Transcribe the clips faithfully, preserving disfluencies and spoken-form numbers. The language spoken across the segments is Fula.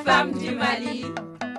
Femmes du Mali.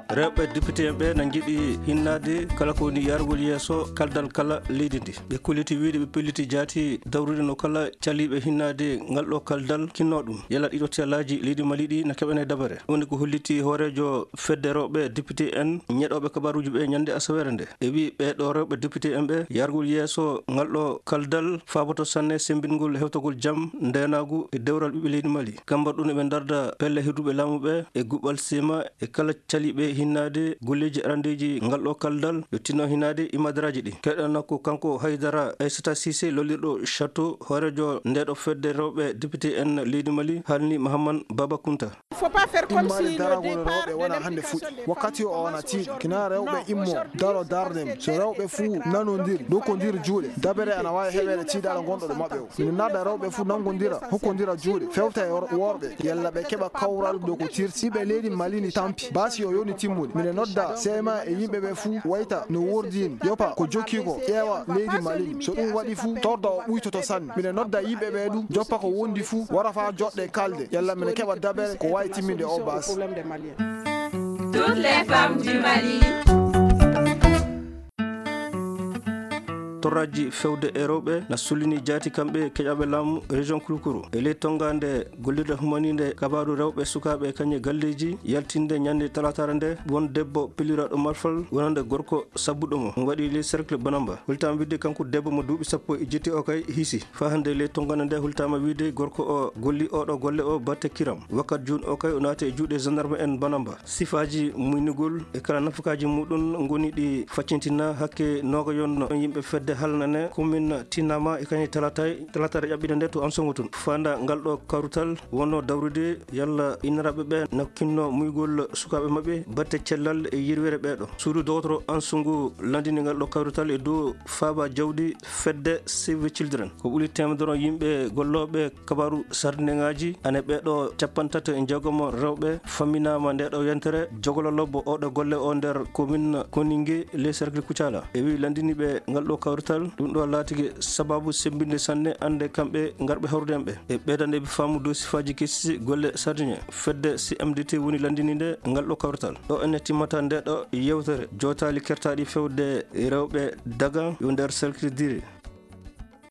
Rewɓe député en ɓe na njiɗi hinnaade kala ko woni yargol yeeso kaldal kala leydi ndi. Ɓe kolliti wiyde ɓe pelliti jaati dawrude no kala caliiɓe hinnaade ngal ɗo kaldal kinnoo ɗum. Yalla ɗiɗo tiyalaaji leydi Mali ɗi na keɓane dabare. Woni ko holliti hooreejo fedde rewɓe député en ñeɗooɓe kabaruuji ɓe ñande asaweere nde. E wi ɓee ɗo rewɓe député en ɓe yargol yeeso ngal ɗo kaldal faaboto sanne sembingol hewtagol jam, ndeenaagu e dewral ɓiɓɓe leydi Mali. Kambar ɗum eɓe ndarda pelle hedduɓe laamu ɓe e guɓal sema e kala caliiɓe hinnaade golleeji arandeeji ngal ɗo kaldal yo tinno hinnaade imadaraaji ɗi. Keɗana ko kanko Haydara Aissata Cissé lollirɗo Château, hooreejo ndeɗo fedde rewɓe député en leydi Mali, haalni Mahaman Baba Kunta. Faut pas faire comme si le départ de l'intrication des femmes commençait aujourd'hui. Wakkati o wona tiiɗo kina rewɓe immo daro darde mum. So rewɓe fuu nanondir dokkondir juuɗe, dabere ana waawi heɓeede tiiɗaɗo gonɗo ɗo maɓɓe o. Mino naada rewɓe fuu nangondira hokkondira juuɗe fewta e wor- worɓe yalla ɓe keɓa kawral dow ko tirti ɓe leydi Mali ni tampi. Baasi o yoni timmude. Mino nodda C M A e yimɓe ɓe fuu wayta no wordini yopa ko jokki ko ƴeewa leydi Mali ni. So ɗum waɗi fuu torda o ɓuytoto sanne. Mino nodda yimɓe ɓe ɗum joppa ko wondi fuu wara faa joɗɗe kalde yalla mino keɓa dabere ko waawi timminde o baasi. Toutes les femmes du Mali. Torraji fewde e rewɓe na sullini jaati kamɓe keƴaɓe laamu région Kulukuru. E ley tongaande gollirde humaniinde kabaaru rewɓe sukaaɓe kañe galleeji yaltinde ñande talaataare nde won debbo pelliraaɗo malfal wonande gorko sabbuɗo mo. Ɗum waɗi ley cercle Banamba. Hultaama wiide kanko debbo mo duuɓi sappo e jetti o kay hiisi. Faa hannde ley tongaande nde hultaama wiide gorko o golli oɗo golle o batte kiram. Wakkat juun o kay o naati e juuɗe gendarme en Banamba. Sifaaji muynugol e kala nafakaaji muɗum ngoni ɗi faccintina hakke noogayon yimɓe fedde halnane commune Tinama e kañum talata talata ƴaɓɓiɗe nde to Ansongo tun. Fanda ngal ɗo kawrital wonno dawrude yalla inniraɓe ɓe na kinno muygol sukaaɓe maɓɓe batte cellal e yirwere ɓeeɗo. Suudu dogotoro Ansongo landini ngal ɗo kawrital e dow faaba jawdi fedde Save Children. Ko ɓuri teemedere yimɓe gollooɓe kabaaru sardineŋaaji ane ɓeeɗo capantato e jeegomo rewɓe famminaama nde ɗo yentere jogolo lobbo oɗo golle o nder commune Koninge ley cercle Kucala. E wi landini ɓe ngal ɗo kawrital, ɗum ɗo laatike sababu sembinde sanne annde kamɓe ngarɓe hawrude en ɓe. E ɓeydande ɓe faamu dow sifaaji kesi golle sardine. Fedde C M D T woni landininde ngal ɗo kawrital. Ɗo ene timmata nde ɗo yewtere jootaali kertaaɗi fewde rewɓe daga yo nder cercle Dire.